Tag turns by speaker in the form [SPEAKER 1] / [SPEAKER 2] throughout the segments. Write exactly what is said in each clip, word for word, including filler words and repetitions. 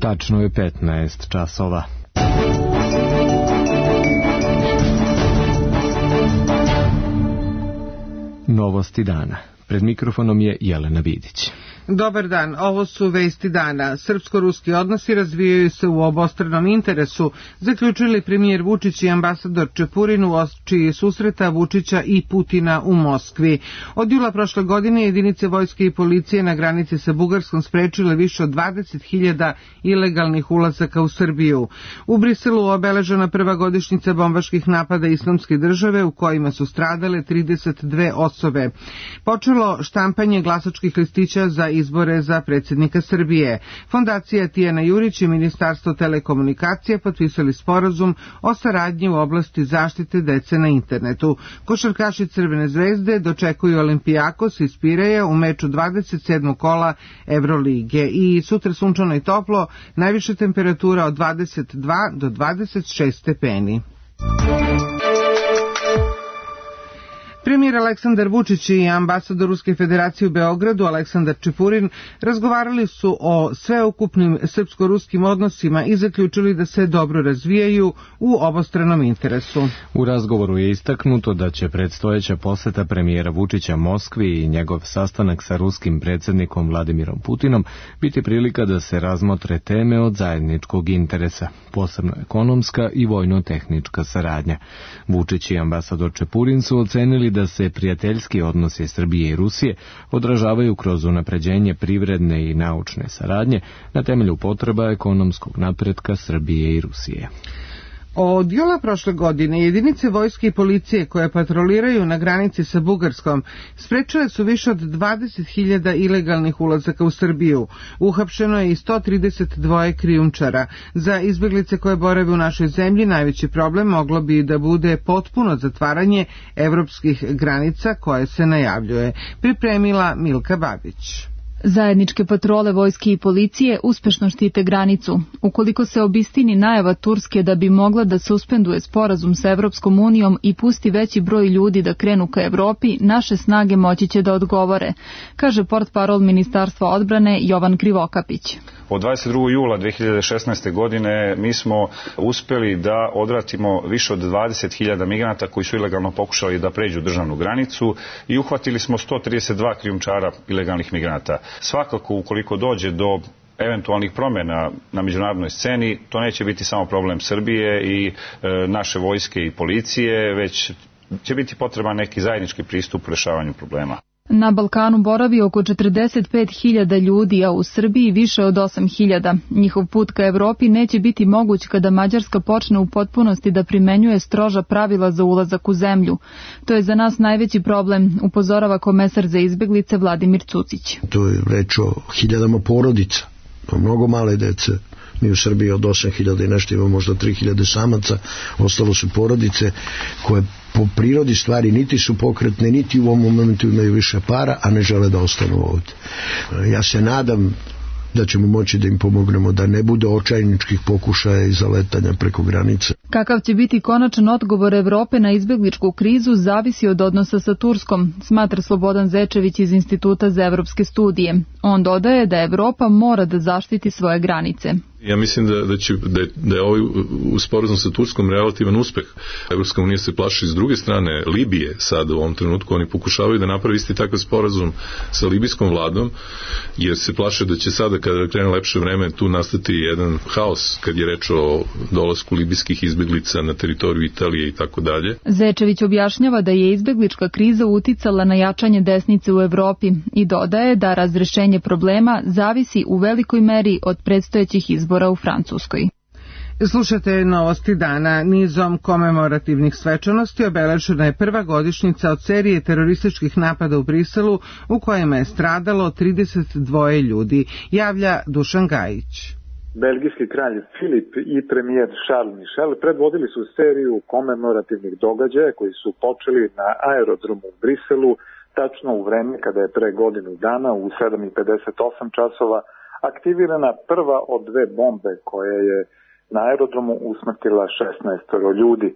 [SPEAKER 1] Tačno je petnaest časova. Novosti dana. Pred mikrofonom je Jelena Vidić.
[SPEAKER 2] Dobar dan, ovo su vesti dana. Srpsko-ruski odnosi razvijaju se u obostranom interesu, zaključili premijer Vučić i ambasador Čepurin u oči susreta Vučića i Putina u Moskvi. Od jula prošle godine jedinice vojske i policije na granici sa Bugarskom sprečile više od dvadeset hiljada ilegalnih ulazaka u Srbiju. U Briselu obeležena prva godišnjica bombaških napada Islamske države u kojima su stradale trideset dve osobe. Počelo štampanje glasačkih listića za izbore za predsjednika Srbije. Fondacija Tijana Jurić i Ministarstvo telekomunikacije potpisali sporazum o saradnji u oblasti zaštite dece na internetu. Košarkaši Crvene zvezde dočekuju Olimpijakos iz Pireja u meču dvadeset sedmog kola Evrolige i sutra sunčano i toplo, najviša temperatura od dvadeset dva do dvadeset šest stepeni. Premijer Aleksandar Vučić i ambasador Ruske federacije u Beogradu Aleksandar Čepurin razgovarali su o sveukupnim srpsko-ruskim odnosima i zaključili da se dobro razvijaju u obostranom interesu.
[SPEAKER 1] U razgovoru je istaknuto da će predstojeća poseta premijera Vučića Moskvi i njegov sastanak sa ruskim predsjednikom Vladimirom Putinom biti prilika da se razmotre teme od zajedničkog interesa, posebno ekonomska i vojno-tehnička saradnja. Vučić i ambasador Čepurin su ocenili da se prijateljski odnosi Srbije i Rusije odražavaju kroz unapređenje privredne i naučne saradnje na temelju potreba ekonomskog napretka Srbije i Rusije.
[SPEAKER 2] Od jula prošle godine jedinice vojske i policije koje patroliraju na granici sa Bugarskom sprečile su više od dvadeset hiljada ilegalnih ulazaka u Srbiju. Uhapšeno je i sto trideset dva krijumčara. Za izbjeglice koje borave u našoj zemlji najveći problem moglo bi da bude potpuno zatvaranje evropskih granica koje se najavljuje. Pripremila Milka Babić.
[SPEAKER 3] Zajedničke patrole vojske i policije uspešno štite granicu. Ukoliko se obistini najava Turske da bi mogla da suspenduje sporazum sa Evropskom unijom i pusti veći broj ljudi da krenu ka Evropi, naše snage moći će da odgovore, kaže portparol Ministarstva odbrane Jovan Krivokapić.
[SPEAKER 4] Od dvadeset drugog jula dve hiljade šesnaeste. godine mi smo uspeli da odvratimo više od dvadeset hiljada migranata koji su ilegalno pokušali da pređu državnu granicu i uhvatili smo sto trideset dva krijumčara ilegalnih migranata. Svakako, ukoliko dođe do eventualnih promjena na međunarodnoj sceni, to neće biti samo problem Srbije i e, naše vojske i policije, već će biti potreban neki zajednički pristup u rešavanju problema.
[SPEAKER 3] Na Balkanu boravi oko četrdeset pet hiljada ljudi, a u Srbiji više od osam hiljada. Njihov put ka Evropi neće biti moguć kada Mađarska počne u potpunosti da primenjuje stroža pravila za ulazak u zemlju. To je za nas najveći problem, upozorava komesar za izbeglice Vladimir Cucić.
[SPEAKER 5] To je reč o hiljadama porodica, o mnogo male dece. Mi u Srbiji od osam hiljada i nešto imamo možda tri hiljade samaca, ostalo su porodice koje po prirodi stvari niti su pokretne, niti u ovom momentu imaju više para, a ne žele da ostanu ovdje. Ja se nadam da ćemo moći da im pomognemo da ne bude očajničkih pokušaja i zaletanja preko granice.
[SPEAKER 3] Kakav će biti konačan odgovor Evrope na izbegličku krizu zavisi od odnosa sa Turskom, smatra Slobodan Zečević iz Instituta za evropske studije. On dodaje da Evropa mora da zaštiti svoje granice.
[SPEAKER 6] Ja mislim da, da, će, da, je, da je ovaj sporazum sa Turskom relativan uspeh. Evropska unija se plaši s druge strane Libije sada u ovom trenutku. Oni pokušavaju da napravi isti takav sporazum sa libijskom vladom, jer se plaše da će sada kada krene lepše vreme tu nastati jedan haos kad je reč o dolasku libijskih izbeglica na teritoriju Italije i tako dalje.
[SPEAKER 3] Zečević objašnjava da je izbeglička kriza uticala na jačanje desnice u Evropi i dodaje da razrešenje problema zavisi u velikoj meri od predstojećih izbora u Francuskoj.
[SPEAKER 2] Slušate novosti dana. Nizom komemorativnih svečanosti obeležena je prva godišnjica od serije terorističkih napada u Briselu u kojima je stradalo trideset dva ljudi, javlja Dušan Gajić.
[SPEAKER 7] Belgijski kralj Filip i premijer Charles Michel predvodili su seriju komemorativnih događaja koji su počeli na aerodromu u Briselu tačno u vreme kada je pre godinu dana u sedam i pedeset osam časova aktivirana prva od dve bombe koje je na aerodromu usmrtila šesnaest ljudi.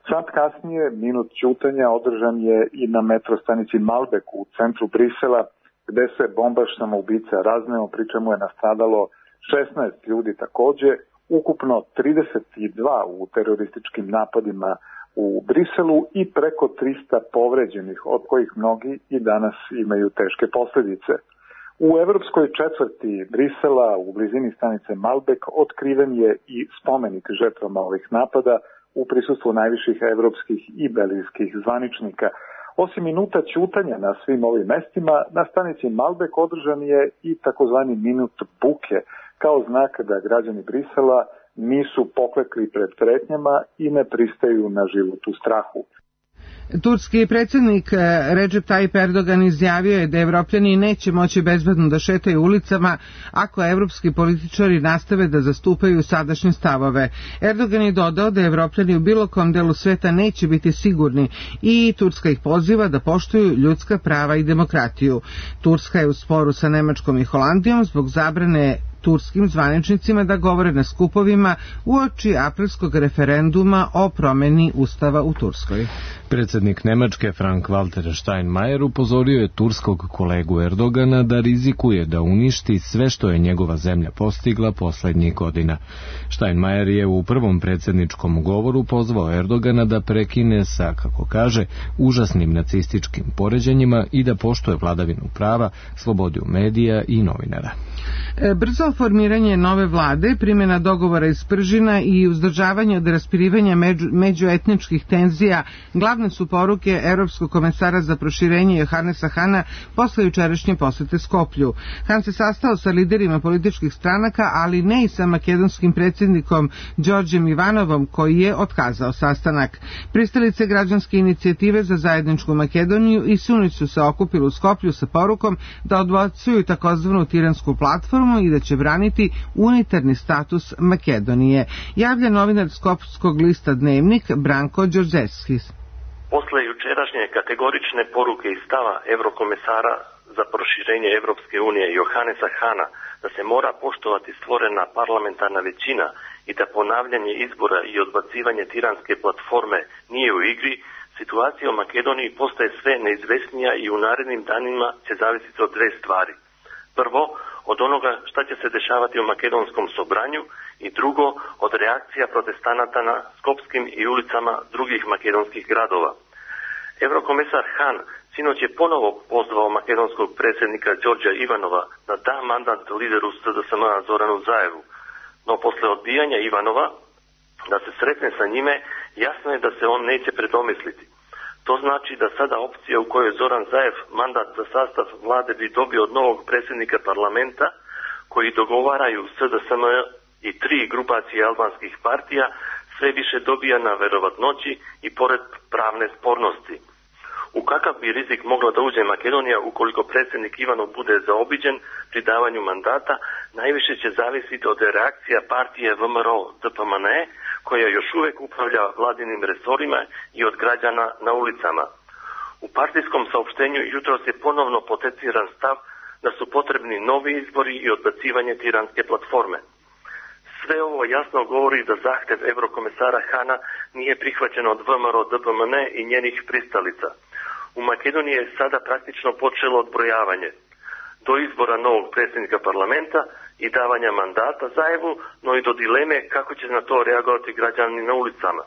[SPEAKER 7] Sat kasnije minut ćutanja održan je i na metrostanici Malbec u centru Brisela, gde se bombaš samoubica razneo, pri čemu je nastradalo šesnaest ljudi takođe, ukupno trideset dva u terorističkim napadima u Briselu i preko trista povređenih, od kojih mnogi i danas imaju teške posledice. U evropskoj četvrti Brisela, u blizini stanice Malbek, otkriven je i spomenik žrtvama ovih napada u prisustvu najviših evropskih i belgijskih zvaničnika. Osim minuta ćutanja na svim ovim mestima, na stanici Malbek održan je i takozvani minut buke, kao znak da građani Brisela nisu poklekli pred pretnjama i ne pristaju na život u strahu.
[SPEAKER 2] Turski predsjednik Recep Tayyip Erdogan izjavio je da Evropljani neće moći bezbedno da šetaju ulicama ako evropski političari nastave da zastupaju sadašnje stavove. Erdogan je dodao da Evropljani u bilo kom delu sveta neće biti sigurni i Turska ih poziva da poštuju ljudska prava i demokratiju. Turska je u sporu sa Nemačkom i Holandijom zbog zabrane turskim zvaničnicima da govore na skupovima uoči aprilskog referenduma o promeni ustava u Turskoj.
[SPEAKER 1] Predsjednik Nemačke Frank-Walter Steinmeier upozorio je turskog kolegu Erdogana da rizikuje da uništi sve što je njegova zemlja postigla posljednjih godina. Steinmeier je u prvom predsjedničkom govoru pozvao Erdogana da prekine sa, kako kaže, užasnim nacističkim poređenjima i da poštuje vladavinu prava, slobodu medija i novinara.
[SPEAKER 2] Brzo formiranje nove vlade, primjena dogovora iz Pržina i uzdržavanje od raspirivanja među, međuetničkih tenzija glavne su poruke Evropskog komesara za proširenje Johannesa Hana posle jučerašnje posete Skoplju. Han se sastao sa liderima političkih stranaka, ali ne i sa makedonskim predsjednikom Đorđem Ivanovom, koji je otkazao sastanak. Pristalice građanske inicijative za zajedničku Makedoniju i Sunić su se okupili u Skoplju sa porukom da odbacuju takozvanu tiransku platformu i da će braniti unitarni status Makedonije. Javlja novinar skopskog lista Dnevnik Branko Đorđevskis.
[SPEAKER 8] Posle jučerašnje kategorične poruke i stava Evrokomesara za proširenje Evropske unije Johannesa Hana da se mora poštovati stvorena parlamentarna većina i da ponavljanje izbora i odbacivanje tiranske platforme nije u igri, situacija u Makedoniji postaje sve neizvesnija i u narednim danima će zavisiti od dve stvari. Prvo, od onoga šta će se dešavati u makedonskom sobranju i drugo, od reakcija protestanata na skopskim i ulicama drugih makedonskih gradova. Evrokomesar Han sinoć je ponovo pozvao makedonskog predsjednika Đorđa Ivanova da da mandat lideru S D S M-a Zoranu Zaevu, no posle odbijanja Ivanova da se sretne sa njime, jasno je da se on neće predomisliti. To znači da sada opcija u kojoj Zoran Zaev mandat za sastav vlade bi dobio od novog predsjednika parlamenta, koji dogovaraju S D S M i tri grupacije albanskih partija, sve više dobija na verovatnoći i pored pravne spornosti. U kakav bi rizik mogla da uđe Makedonija ukoliko predsjednik Ivanov bude zaobiđen pri davanju mandata, najviše će zavisiti od reakcija partije V M R O D P M N E, koja još uvijek upravlja vladinim resorima i od građana na ulicama. U partijskom saopštenju jutros je ponovno poteciran stav da su potrebni novi izbori i odbacivanje tiranske platforme. Sve ovo jasno govori da zahtev Evrokomesara Hana nije prihvaćen od V M R O D P M N E i njenih pristalica. U Makedoniji je sada praktično počelo odbrojavanje do izbora novog predsjednika parlamenta i davanja mandata Zaevu, no i do dileme kako će na to reagovati građani na ulicama.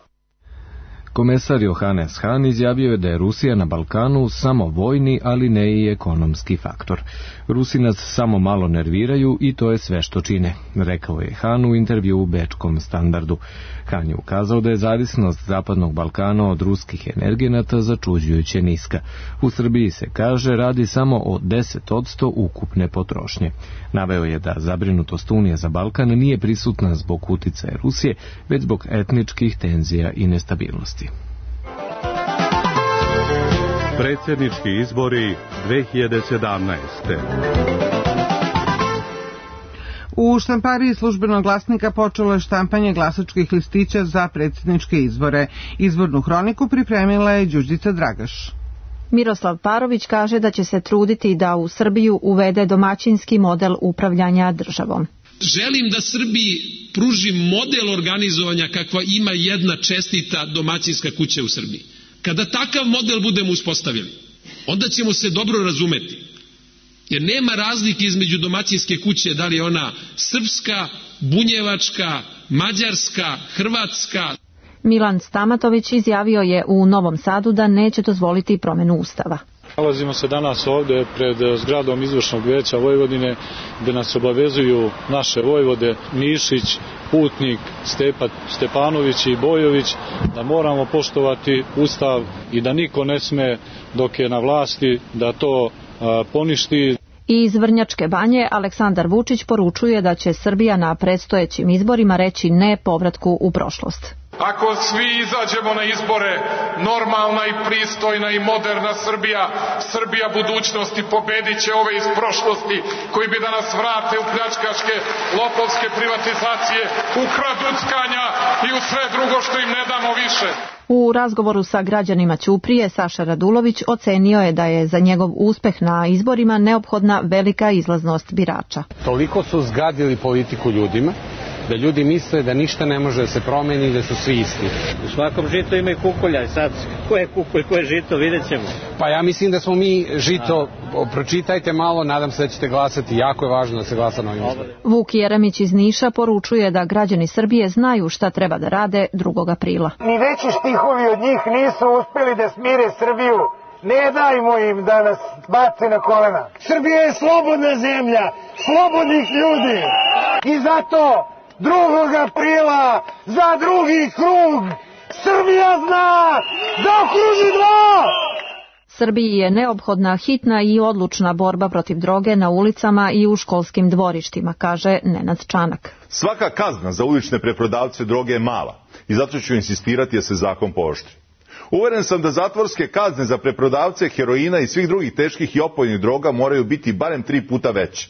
[SPEAKER 1] Komesar Johannes Hahn izjavio je da je Rusija na Balkanu samo vojni, ali ne i ekonomski faktor. Rusi nas samo malo nerviraju i to je sve što čine, rekao je Hahn u intervju u Bečkom Standardu. Hahn je ukazao da je zavisnost Zapadnog Balkana od ruskih energenata začuđujuće niska. U Srbiji se kaže radi samo o deset posto ukupne potrošnje. Naveo je da zabrinutost Unije za Balkan nije prisutna zbog uticaja Rusije, već zbog etničkih tenzija i nestabilnosti.
[SPEAKER 9] Predsjednički izbori dve hiljade sedamnaeste.
[SPEAKER 2] U štampariji Službenog glasnika počelo je štampanje glasačkih listića za predsjedničke izbore. Izbornu hroniku pripremila je Đurđica Dragaš.
[SPEAKER 10] Miroslav Parović kaže da će se truditi da u Srbiju uvede domaćinski model upravljanja državom.
[SPEAKER 11] Želim da Srbiji pruži model organizovanja kakva ima jedna čestita domaćinska kuća u Srbiji. Kada takav model budemo uspostavili, onda ćemo se dobro razumeti Jer nema razlike između domaćinske kuće, da li je ona srpska, bunjevačka, mađarska, hrvatska.
[SPEAKER 10] Milan Stamatović izjavio je u Novom Sadu da neće dozvoliti promjenu Ustava.
[SPEAKER 12] Nalazimo se danas ovdje pred zgradom Izvršnog vijeća Vojvodine, gdje nas obavezuju naše vojvode Mišić, Putnik, Stepa, Stepanović i Bojović da moramo poštovati Ustav i da niko ne sme dok je na vlasti da to a, poništi.
[SPEAKER 10] I iz Vrnjačke Banje Aleksandar Vučić poručuje da će Srbija na predstojećim izborima reći ne povratku u prošlost.
[SPEAKER 13] Ako svi izađemo na izbore, normalna i pristojna i moderna Srbija, Srbija budućnosti pobedit će ove iz prošlosti koji bi da nas vrate u pljačkaške, lopovske privatizacije, u kraduckanja i u sve drugo što im ne damo više.
[SPEAKER 10] U razgovoru sa građanima Ćuprije Saša Radulović ocenio je da je za njegov uspeh na izborima neophodna velika izlaznost birača.
[SPEAKER 14] Toliko su zgadili politiku ljudima da ljudi misle da ništa ne može da se promeni i da su svi isti.
[SPEAKER 15] U svakom žitu ima i kukolja i sad ko je kukolj, ko je žito, vidjet ćemo.
[SPEAKER 14] Pa ja mislim da smo mi žito, pročitajte malo, nadam se da ćete glasati, jako je važno da se glasa na ovim izborima.
[SPEAKER 10] Vuk Jeremić iz Niša poručuje da građani Srbije znaju šta treba da rade drugog aprila.
[SPEAKER 16] Ni veći štihovi od njih nisu uspeli da smire Srbiju. Ne dajmo im da nas bace na kolena. Srbija je slobodna zemlja, slobodnih ljudi. I zato drugog aprila za drugi krug Srbija zna da okruži dva!
[SPEAKER 10] Srbiji je neophodna hitna i odlučna borba protiv droge na ulicama i u školskim dvorištima, kaže Nenad Čanak.
[SPEAKER 17] Svaka kazna za ulične preprodavce droge je mala i zato ću insistirati da se zakon pooštri. Uveren sam da zatvorske kazne za preprodavce heroina i svih drugih teških i opojnih droga moraju biti barem tri puta veće.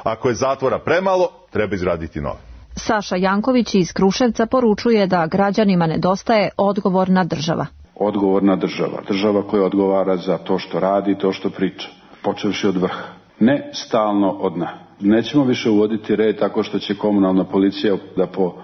[SPEAKER 17] Ako je zatvora premalo, treba izraditi nove.
[SPEAKER 10] Saša Janković iz Kruševca poručuje da građanima nedostaje odgovorna država.
[SPEAKER 18] Odgovorna država, država koja odgovara za to što radi i to što priča, počevši od vrha. Ne stalno od dna. Nećemo više uvoditi red tako što će komunalna policija da po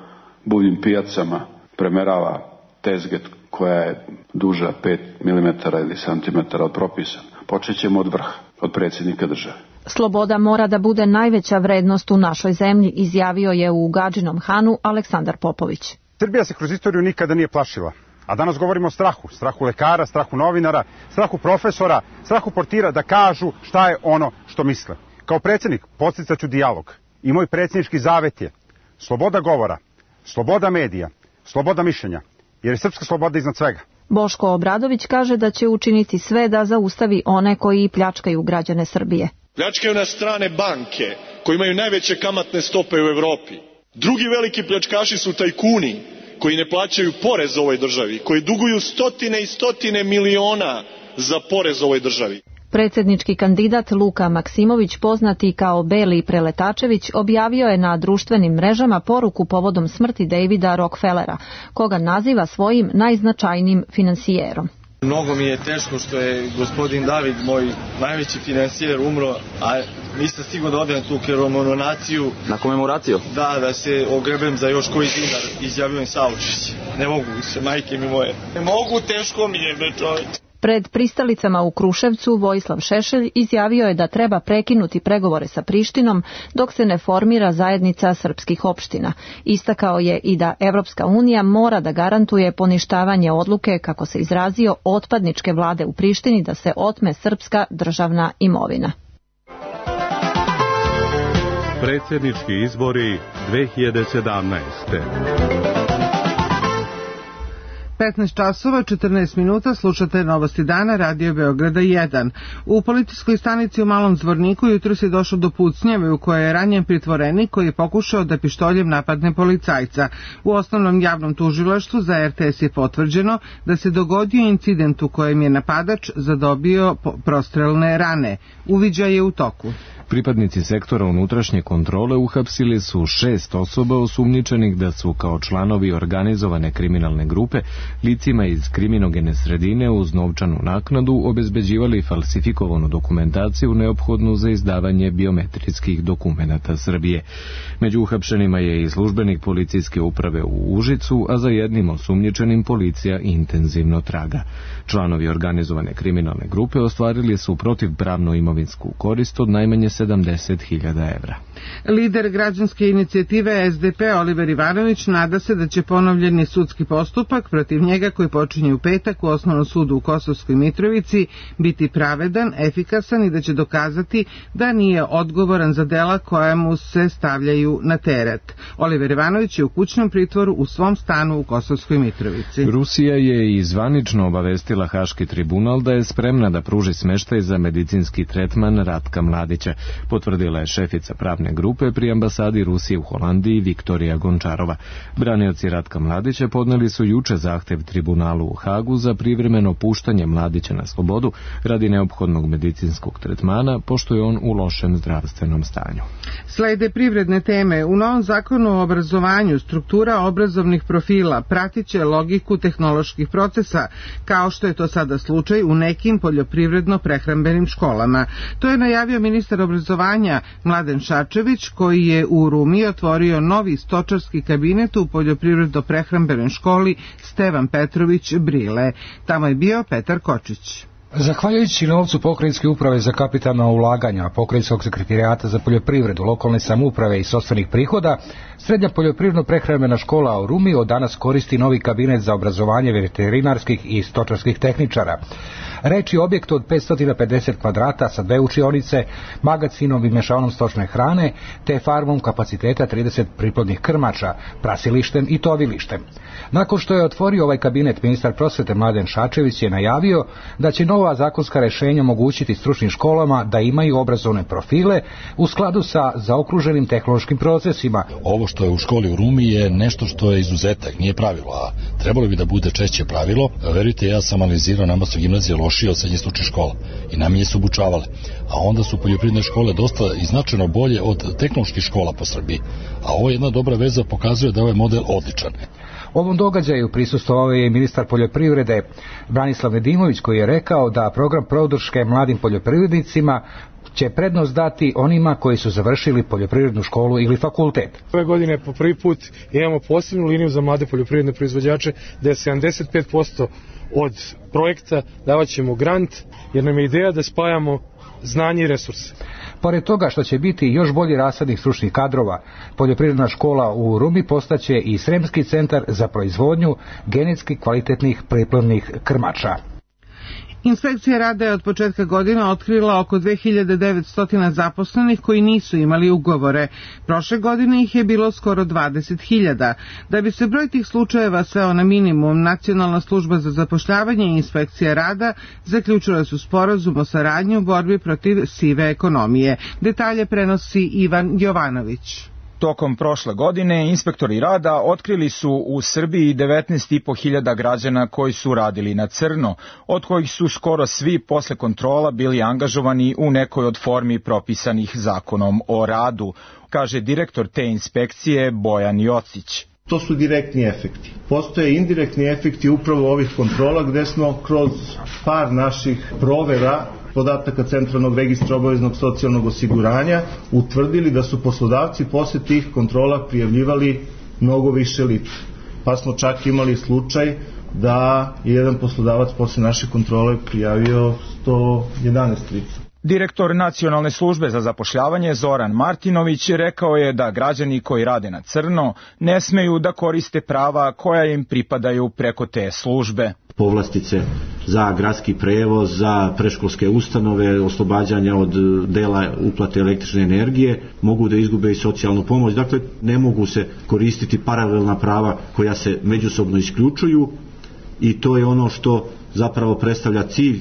[SPEAKER 18] buvljim pijacama premerava tezget koja je duža pet milimetara ili santimetara od propisana. Počet ćemo od vrha, od predsjednika države.
[SPEAKER 10] Sloboda mora da bude najveća vrednost u našoj zemlji, izjavio je u Gadžinom Hanu Aleksandar Popović.
[SPEAKER 19] Srbija se kroz istoriju nikada nije plašila. A danas govorimo o strahu. Strahu lekara, strahu novinara, strahu profesora, strahu portira da kažu šta je ono što misle. Kao predsjednik podsticaću dijalog. I moj predsjednički zavet je sloboda govora, sloboda medija, sloboda mišljenja, jer je srpska sloboda iznad svega.
[SPEAKER 10] Boško Obradović kaže da će učiniti sve da zaustavi one koji pljačkaju građane Srbije.
[SPEAKER 20] Pljačkaju nas strane banke koji imaju najveće kamatne stope u Evropi. Drugi veliki pljačkaši su tajkuni koji ne plaćaju porez ovoj državi, koji duguju stotine i stotine miliona za porez ovoj državi.
[SPEAKER 10] Predsjednički kandidat Luka Maksimović, poznati kao Beli Preletačević, objavio je na društvenim mrežama poruku povodom smrti Davida Rockefellera, koga naziva svojim najznačajnijim finansijerom.
[SPEAKER 21] Mnogo mi je teško što je gospodin David, moj najveći finansijer, umro, a nisam stigao da odem na tu komemoraciju.
[SPEAKER 22] Na komemoraciju?
[SPEAKER 21] Da, da se ogrebem za još koji dinar, izjavio im saučešće. Ne mogu više, majke mi moje. Ne mogu, teško mi je, be čovječ.
[SPEAKER 10] Pred pristalicama u Kruševcu Vojislav Šešelj izjavio je da treba prekinuti pregovore sa Prištinom dok se ne formira zajednica srpskih opština. Istakao je i da Evropska unija mora da garantuje poništavanje odluke, kako se izrazio, otpadničke vlade u Prištini da se otme srpska državna imovina.
[SPEAKER 9] Predsjednički izbori dve hiljade sedamnaeste.
[SPEAKER 2] petnaest časova četrnaest minuta, slušate Novosti dana, Radio Beograda jedan. U policijskoj stanici u Malom Zvorniku jutros je došlo do pucnjave u kojoj je ranjen pritvorenik koji je pokušao da pištoljem napadne policajca. U osnovnom javnom tužilaštvu za er te es je potvrđeno da se dogodio incident u kojem je napadač zadobio prostrelne rane. Uviđaj je u toku.
[SPEAKER 1] Pripadnici sektora unutrašnje kontrole uhapsili su šest osoba osumnjičenih da su kao članovi organizovane kriminalne grupe licima iz kriminogene sredine uz novčanu naknadu obezbeđivali falsifikovanu dokumentaciju neophodnu za izdavanje biometrijskih dokumenata Srbije. Među uhapšenima je i službenik policijske uprave u Užicu, a za jednim osumnjičenim policija intenzivno traga. Članovi organizovane kriminalne grupe ostvarili su protivpravnu imovinsku korist od najmanje sedamdeset hiljada evra.
[SPEAKER 2] Lider građanske inicijative S D P Oliver Ivanović nada se da će ponovljeni sudski postupak protiv njega koji počinje u petak u Osnovnom sudu u Kosovskoj Mitrovici biti pravedan, efikasan i da će dokazati da nije odgovoran za dela koja mu se stavljaju na teret. Oliver Ivanović je u kućnom pritvoru u svom stanu u Kosovskoj Mitrovici.
[SPEAKER 1] Rusija je i zvanično obavestila Haški tribunal da je spremna da pruži smeštaj za medicinski tretman Ratka Mladića, potvrdila je šefica pravne grupe pri ambasadi Rusije u Holandiji Viktorija Gončarova. Branioci Ratka Mladića podneli su juče zahtev tribunalu u Hagu za privremeno puštanje Mladića na slobodu radi neophodnog medicinskog tretmana, pošto je on u lošem zdravstvenom stanju.
[SPEAKER 2] Slede privredne teme. U novom zakonu o obrazovanju struktura obrazovnih profila pratiće logiku tehnoloških procesa, kao što je to sada slučaj u nekim poljoprivredno-prehrambenim školama. To je najavio ministar obrazovanja Mladen Šarčević, koji je u Rumi otvorio novi stočarski kabinet u poljoprivredno-prehrambenoj školi Stevan Petrović Brile. Tamo je bio Petar Kočić.
[SPEAKER 4] Zahvaljujući novcu Pokrajinske uprave za kapitalna ulaganja, Pokrajinskog sekretarijata za poljoprivredu, lokalne samouprave i sopstvenih prihoda, srednja poljoprivredno-prehrambena škola u Rumi od danas koristi novi kabinet za obrazovanje veterinarskih i stočarskih tehničara. Reč je o objektu od petsto pedeset kvadrata sa dve učionice, magacinom i mešavnom stočne hrane, te farmom kapaciteta trideset priplodnih krmača, prasilištem i tovilištem. Nakon što je otvorio ovaj kabinet, ministar prosvete Mladen Šarčević je najavio da će nova zakonska rešenja omogućiti stručnim školama da imaju obrazovne profile u skladu sa zaokruženim tehnološkim procesima.
[SPEAKER 22] Ovo što je u školi u Rumi je nešto što je izuzetak, nije pravilo, a trebalo bi da bude češće pravilo. Verujte, ja sam analizirao, nama su gimnazije lošije od srednjih stručnih škola i najmanje su obučavale, a onda su poljoprivredne škole dosta i značajno bolje od tehnoloških škola po Srbiji, a ovo je jedna dobra veza, pokazuje da je ovaj model odličan.
[SPEAKER 4] Ovom događaju prisustvovao je ministar poljoprivrede Branislav Nedimović, koji je rekao da program podrške mladim poljoprivrednicima će prednost dati onima koji su završili poljoprivrednu školu ili fakultet.
[SPEAKER 23] Ove godine po prvi put imamo posebnu liniju za mlade poljoprivredne proizvođače, da je sedamdeset pet posto od projekta davat ćemo grant, jer nam je ideja da spajamo znanje i resurse.
[SPEAKER 4] Pored toga što će biti još bolji rasadnih stručnih kadrova, poljoprivredna škola u Rumi postaće i Sremski centar za proizvodnju genetski kvalitetnih priplodnih krmača.
[SPEAKER 2] Inspekcija rada je od početka godina otkrila oko dve hiljade devetsto zaposlenih koji nisu imali ugovore. Prošle godine ih je bilo skoro dvadeset hiljada. Da bi se broj tih slučajeva sveo na minimum, Nacionalna služba za zapošljavanje i Inspekcija rada zaključile su sporazum o saradnji u borbi protiv sive ekonomije. Detalje prenosi Ivan Jovanović.
[SPEAKER 24] Tokom prošle godine inspektori rada otkrili su u Srbiji devetnaest i po hiljada građana koji su radili na crno, od kojih su skoro svi posle kontrola bili angažovani u nekoj od formi propisanih zakonom o radu, kaže direktor te inspekcije Bojan Jocić.
[SPEAKER 25] To su direktni efekti. Postoje indirektni efekti upravo ovih kontrola gde smo kroz par naših provera podataka Centralnog registra obaveznog socijalnog osiguranja utvrdili da su poslodavci posle tih kontrola prijavljivali mnogo više lica. Pa smo čak imali slučaj da je jedan poslodavac posle naše kontrole prijavio sto jedanaest lica.
[SPEAKER 24] Direktor Nacionalne službe za zapošljavanje Zoran Martinović rekao je da građani koji rade na crno ne smeju da koriste prava koja im pripadaju preko te službe.
[SPEAKER 26] Povlastice za gradski prevoz, za predškolske ustanove, oslobađanja od dela uplate električne energije, mogu da izgube i socijalnu pomoć. Dakle, ne mogu se koristiti paralelna prava koja se međusobno isključuju i to je ono što zapravo predstavlja cilj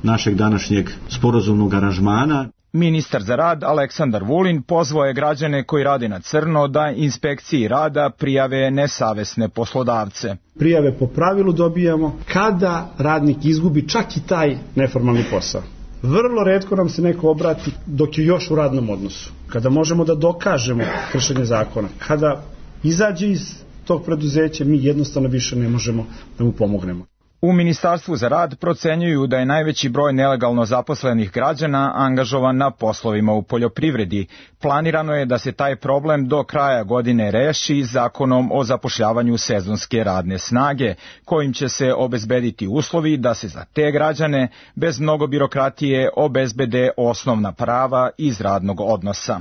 [SPEAKER 26] našeg današnjeg sporazumnog aranžmana.
[SPEAKER 24] Ministar za rad Aleksandar Vulin pozvao je građane koji rade na crno da inspekciji rada prijave nesavesne poslodavce.
[SPEAKER 27] Prijave po pravilu dobijamo kada radnik izgubi čak i taj neformalni posao.
[SPEAKER 3] Vrlo retko nam se neko obrati dok je još u radnom odnosu. Kada možemo da dokažemo kršenje zakona, kada izađe iz tog preduzeća, mi jednostavno više ne možemo da mu pomognemo.
[SPEAKER 24] U Ministarstvu za rad procenjuju da je najveći broj nelegalno zaposlenih građana angažovan na poslovima u poljoprivredi. Planirano je da se taj problem do kraja godine reši zakonom o zapošljavanju sezonske radne snage, kojim će se obezbediti uslovi da se za te građane bez mnogo birokratije obezbede osnovna prava iz radnog odnosa.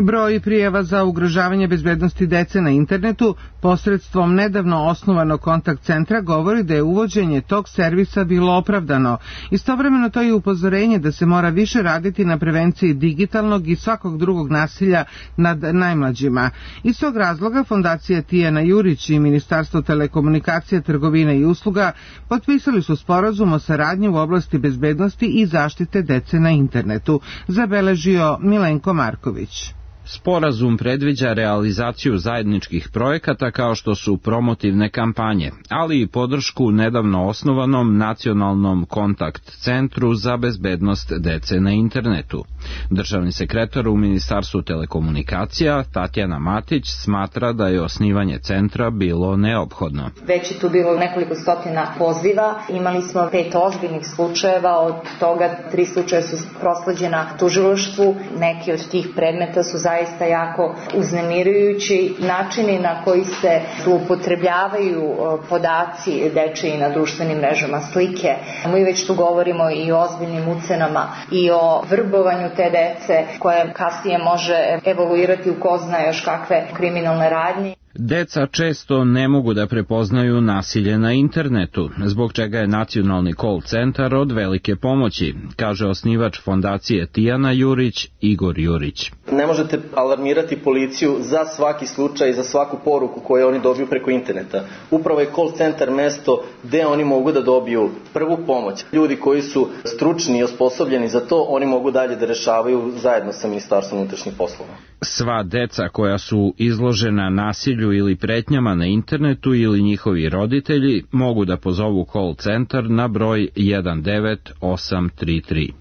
[SPEAKER 2] Broj prijava za ugrožavanje bezbednosti dece na internetu posredstvom nedavno osnovanog kontakt centra govori da je uvođenje tog servisa bilo opravdano. Istovremeno to je upozorenje da se mora više raditi na prevenciji digitalnog i svakog drugog nasilja nad najmlađima. Iz tog razloga Fondacija Tijana Jurić i Ministarstvo telekomunikacija, trgovine i usluga potpisali su sporazum o saradnji u oblasti bezbednosti i zaštite dece na internetu, zabeležio Milenko Marković.
[SPEAKER 5] Sporazum predviđa realizaciju zajedničkih projekata kao što su promotivne kampanje, ali i podršku nedavno osnovanom nacionalnom kontakt centru za bezbednost dece na internetu. Državni sekretar u Ministarstvu telekomunikacija Tatjana Matić smatra da je osnivanje centra bilo neophodno.
[SPEAKER 6] Već je tu bilo nekoliko stotina poziva, imali smo pet ozbiljnih slučajeva, od toga tri slučaja su prosleđena tužilaštvu, neki od tih predmeta su zajednički zaista jako uznemirujući načini na koji se zloupotrebljavaju podaci dečiji na društvenim mrežama, slike. Mi već tu govorimo i o ozbiljnim ucenama i o vrbovanju te dece koje kasnije može evoluirati u ko zna još kakve kriminalne radnje.
[SPEAKER 5] Deca često ne mogu da prepoznaju nasilje na internetu, zbog čega je nacionalni call centar od velike pomoći, kaže osnivač Fondacije Tijana Jurić, Igor Jurić.
[SPEAKER 7] Ne možete alarmirati policiju za svaki slučaj i za svaku poruku koju oni dobiju preko interneta. Upravo je call centar mesto gde oni mogu da dobiju prvu pomoć. Ljudi koji su stručni i osposobljeni za to, oni mogu dalje da rešavaju zajedno sa Ministarstvom unutrašnjih poslova.
[SPEAKER 5] Sva deca koja su izložena nasilju ili pretnjama na internetu ili njihovi roditelji mogu da pozovu call centar na broj jedan devet osam tri tri.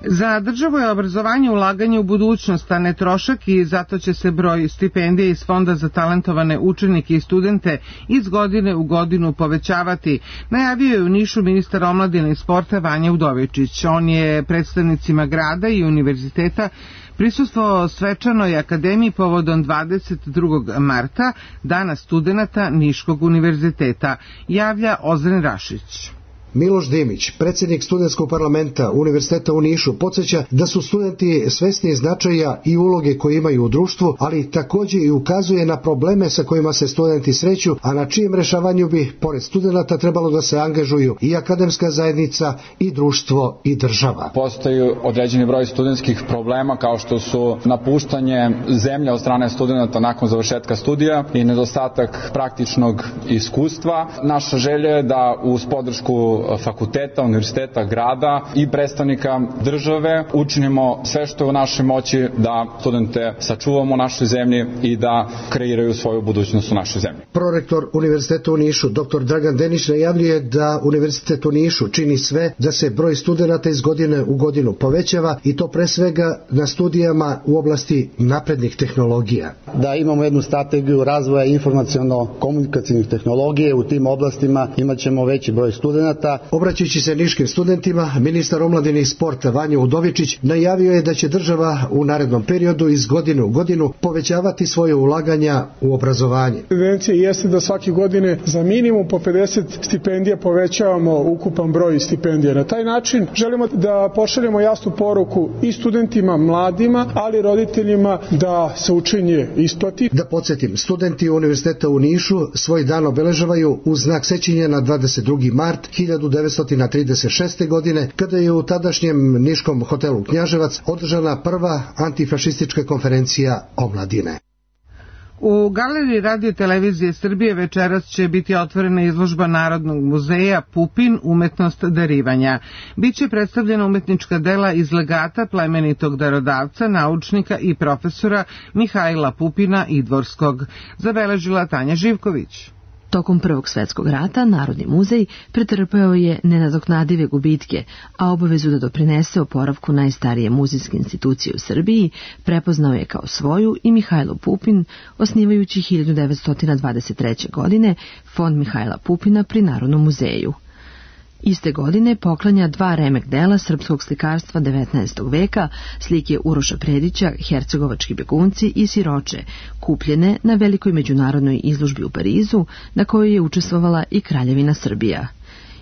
[SPEAKER 2] Za državu je obrazovanje ulaganje u budućnost, a ne trošak, i zato će se broj stipendija iz Fonda za talentovane učenike i studente iz godine u godinu povećavati, najavio je u Nišu ministar omladine i sporta Vanja Udovičić. On je predstavnicima grada i univerziteta prisustvovao svečanoj akademiji povodom dvadeset drugog marta, Dana studenata Niškog univerziteta, javlja Ozren Rašić.
[SPEAKER 8] Miloš Dimić, predsjednik studentskog parlamenta Univerziteta u Nišu, podsjeća da su studenti svesni značaja i uloge koje imaju u društvu, ali također i ukazuje na probleme sa kojima se studenti sreću, a na čijem rešavanju bi, pored studenata, trebalo da se angažuju i akademska zajednica, i društvo, i država.
[SPEAKER 11] Postoji određeni broj studentskih problema, kao što su napuštanje zemlje od strane studenata nakon završetka studija i nedostatak praktičnog iskustva. Naša želja je da uz podršku fakulteta, univerziteta, grada i predstavnika države učinimo sve što je u našoj moći da studente sačuvamo u našoj zemlji i da kreiraju svoju budućnost u našoj zemlji.
[SPEAKER 8] Prorektor Univerziteta u Nišu, dr Dragan Denić, najavljuje da Univerzitet u Nišu čini sve da se broj studenata iz godine u godinu povećava, i to pre svega na studijama u oblasti naprednih tehnologija.
[SPEAKER 27] Da imamo jednu strategiju razvoja informaciono-komunikacijnih tehnologije, u tim oblastima imat ćemo veći broj studenata.
[SPEAKER 8] Obraćajući se niškim studentima, ministar omladine i sporta Vanja Udovičić najavio je da će država u narednom periodu iz godine u godinu povećavati svoje ulaganja u obrazovanje.
[SPEAKER 28] Tendencija jeste da svake godine za minimum po pedeset stipendija povećavamo ukupan broj stipendija. Na taj način želimo da pošaljemo jasnu poruku i studentima, mladima, ali roditeljima da se učenje isplati.
[SPEAKER 8] Da podsjetim, studenti Univerziteta u Nišu svoj dan obeležavaju u znak sećanja na dvadeset drugi mart hiljadu devetsto trideset šeste. godine, kada je u tadašnjem niškom hotelu Knjaževac održana prva antifašistička konferencija omladine.
[SPEAKER 2] U Galeriji Radio televizije Srbije večeras će biti otvorena izložba Narodnog muzeja Pupin, umetnost darivanja. Biće predstavljena umetnička dela iz legata plemenitog darodavca, naučnika i profesora Mihajla Pupina Idvorskog, zabeležila Tanja Živković.
[SPEAKER 12] Tokom Prvog svetskog rata Narodni muzej pretrpeo je nenadoknadive gubitke, a obavezu da doprinese oporavku najstarije muzejske institucije u Srbiji prepoznao je kao svoju i Mihajlo Pupin, osnivajući hiljadu devetsto dvadeset treće. godine Fond Mihajla Pupina pri Narodnom muzeju. Iste godine poklanja dva remek dela srpskog slikarstva devetnaestog veka, slike Uroša Predića, Hercegovački begunci i siroče, kupljene na velikoj međunarodnoj izložbi u Parizu, na kojoj je učestvovala i Kraljevina Srbija.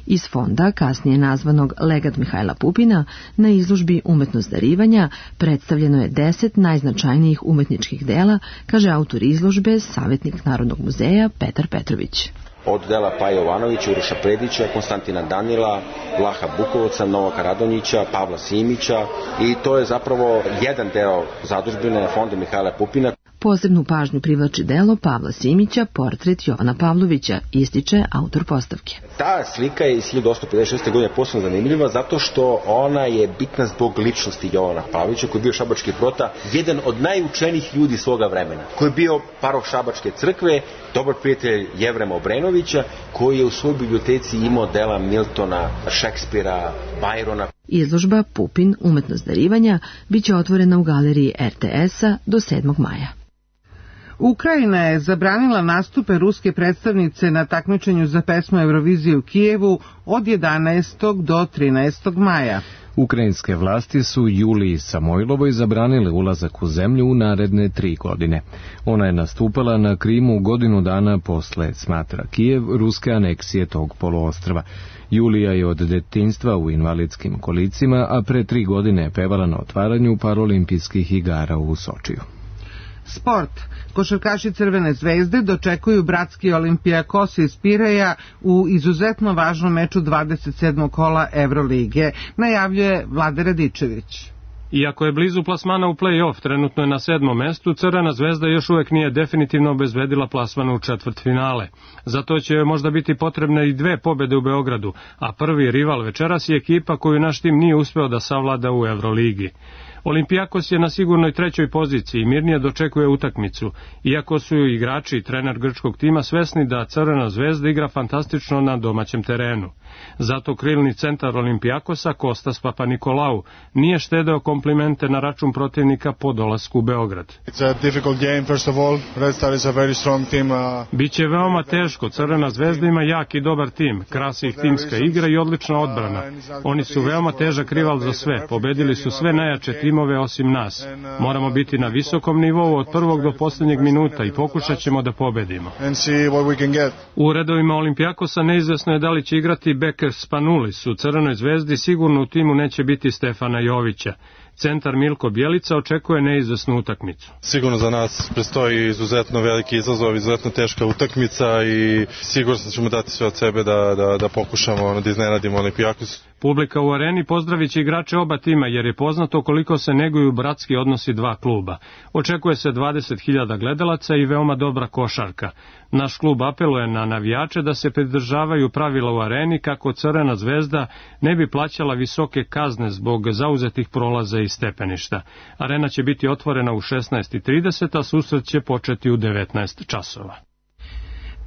[SPEAKER 12] Iz fonda, kasnije nazvanog Legat Mihajla Pupina, na izložbi Umetnost darivanja predstavljeno je deset najznačajnijih umetničkih dela, kaže autor izložbe, savjetnik Narodnog muzeja Petar Petrović.
[SPEAKER 13] Od dela Paje Jovanovića, Uroša Predića, Konstantina Danila, Vlaha Bukovca, Novaka Radonjića, Pavla Simića i to je zapravo jedan deo zadužbine Fonda Mihajla Pupina.
[SPEAKER 12] Posebnu pažnju privlači delo Pavla Simića, Portret Jovana Pavlovića, ističe autor postavke.
[SPEAKER 13] Ta slika je iz hiljadu osamsto pedeset šeste. godine posebno zanimljiva zato što ona je bitna zbog ličnosti Jovana Pavlovića, koji je bio šabački prota, jedan od najučenijih ljudi svoga vremena, koji je bio paroh Šabačke crkve, dobar prijatelj Jevrema Obrenovića, koji je u svojoj biblioteci imao dela Miltona, Šekspira, Bajrona.
[SPEAKER 12] Izložba Pupin, umetnost darivanja, biće otvorena u galeriji er te es-a do sedmog maja.
[SPEAKER 2] Ukrajina je zabranila nastupe ruske predstavnice na takmičenju za pesmu Eurovizije u Kijevu od jedanaestog do trinaestog maja.
[SPEAKER 1] Ukrajinske vlasti su Juliji Samojlovoj zabranile ulazak u zemlju u naredne tri godine. Ona je nastupala na Krimu godinu dana posle, smatra Kijev, ruske aneksije tog poluostrva. Julija je od detinjstva u invalidskim kolicima, a pre tri godine je pevala na otvaranju Paralimpijskih igara u Sočiju.
[SPEAKER 2] Sport. Košarkaši Crvene zvezde dočekuju bratski Olimpijakos iz Pireja u izuzetno važnom meču dvadeset sedmog kola Evrolige, najavljuje Vlade Radičević.
[SPEAKER 14] Iako je blizu plasmana u play-off, trenutno je na sedmom mestu, Crvena zvezda još uvek nije definitivno obezbedila plasman u četvrtfinale. Zato će joj možda biti potrebne i dve pobede u Beogradu, a prvi rival večeras je ekipa koju naš tim nije uspeo da savlada u Evroligi. Olimpijakos je na sigurnoj trećoj poziciji i mirnije dočekuje utakmicu, iako su igrači i trener grčkog tima svesni da Crvena zvezda igra fantastično na domaćem terenu. Zato krilni centar Olimpijakosa, Kostas Papanikolau, nije štedeo komplimente na račun protivnika po dolasku u Beograd. Biće veoma teško, Crvena zvezda ima jak i dobar tim, krasi ih timska igra i odlična odbrana. Oni su veoma težak rival za sve, pobedili su sve najjače timove osim nas. Moramo biti na visokom nivou od prvog do posljednjeg minuta i pokušat ćemo da pobedimo. U redovima Olimpijakosa neizvesno je da li će igrati Beker Spanulis. U Crvenoj zvezdi sigurno u timu neće biti Stefana Jovića. Centar Milko Bjelica očekuje neizvesnu utakmicu.
[SPEAKER 15] Sigurno za nas predstoji izuzetno veliki izazov, izuzetno teška utakmica i sigurno ćemo dati sve od sebe da, da, da pokušamo da iznenadimo Olimpijakos.
[SPEAKER 14] Publika u areni pozdravit će igrače oba tima jer je poznato koliko se neguju bratski odnosi dva kluba. Očekuje se dvadeset hiljada gledalaca i veoma dobra košarka. Naš klub apeluje na navijače da se pridržavaju pravila u areni kako Crvena zvezda ne bi plaćala visoke kazne zbog zauzetih prolaza i stepeništa. Arena će biti otvorena u šesnaest i trideset, a susret će početi u devetnaest časova.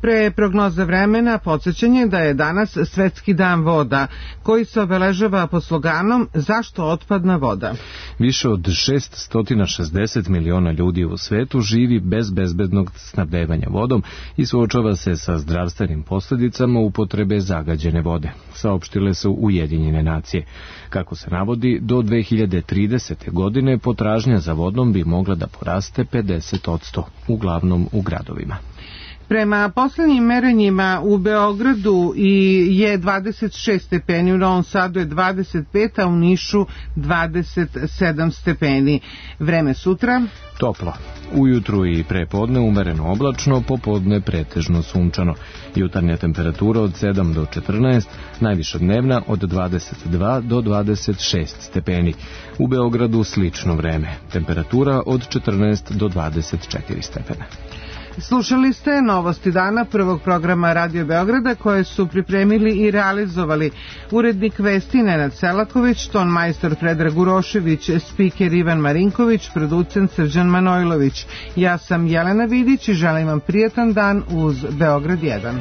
[SPEAKER 2] Pre prognoza vremena podsjećanje da je danas Svetski dan voda, koji se obeležava pod sloganom Zašto otpadna voda?
[SPEAKER 1] Više od šessto šezdeset miliona ljudi u svetu živi bez bezbednog snabdevanja vodom i suočava se sa zdravstvenim posljedicama upotrebe zagađene vode, saopštile su Ujedinjene nacije. Kako se navodi, do dve hiljade tridesete. godine potražnja za vodom bi mogla da poraste pedeset posto, uglavnom u gradovima.
[SPEAKER 2] Prema posljednjim merenjima u Beogradu je dvadeset šest stepeni, u Novom Sadu je dvadeset pet, a u Nišu dvadeset sedam stepeni. Vreme sutra?
[SPEAKER 1] Toplo. Ujutru i prepodne umereno oblačno, popodne pretežno sunčano. Jutarnja temperatura od sedam do četrnaest, najviša dnevna od dvadeset dva do dvadeset šest stepeni. U Beogradu slično vreme. Temperatura od četrnaest do dvadeset četiri stepena.
[SPEAKER 2] Slušali ste Novosti dana prvog programa Radio Beograda koje su pripremili i realizovali urednik vesti Nenad Selaković, ton majstor Predrag Urošević, spiker Ivan Marinković, producent Srđan Manojlović. Ja sam Jelena Vidić i želim vam prijatan dan uz Beograd jedan.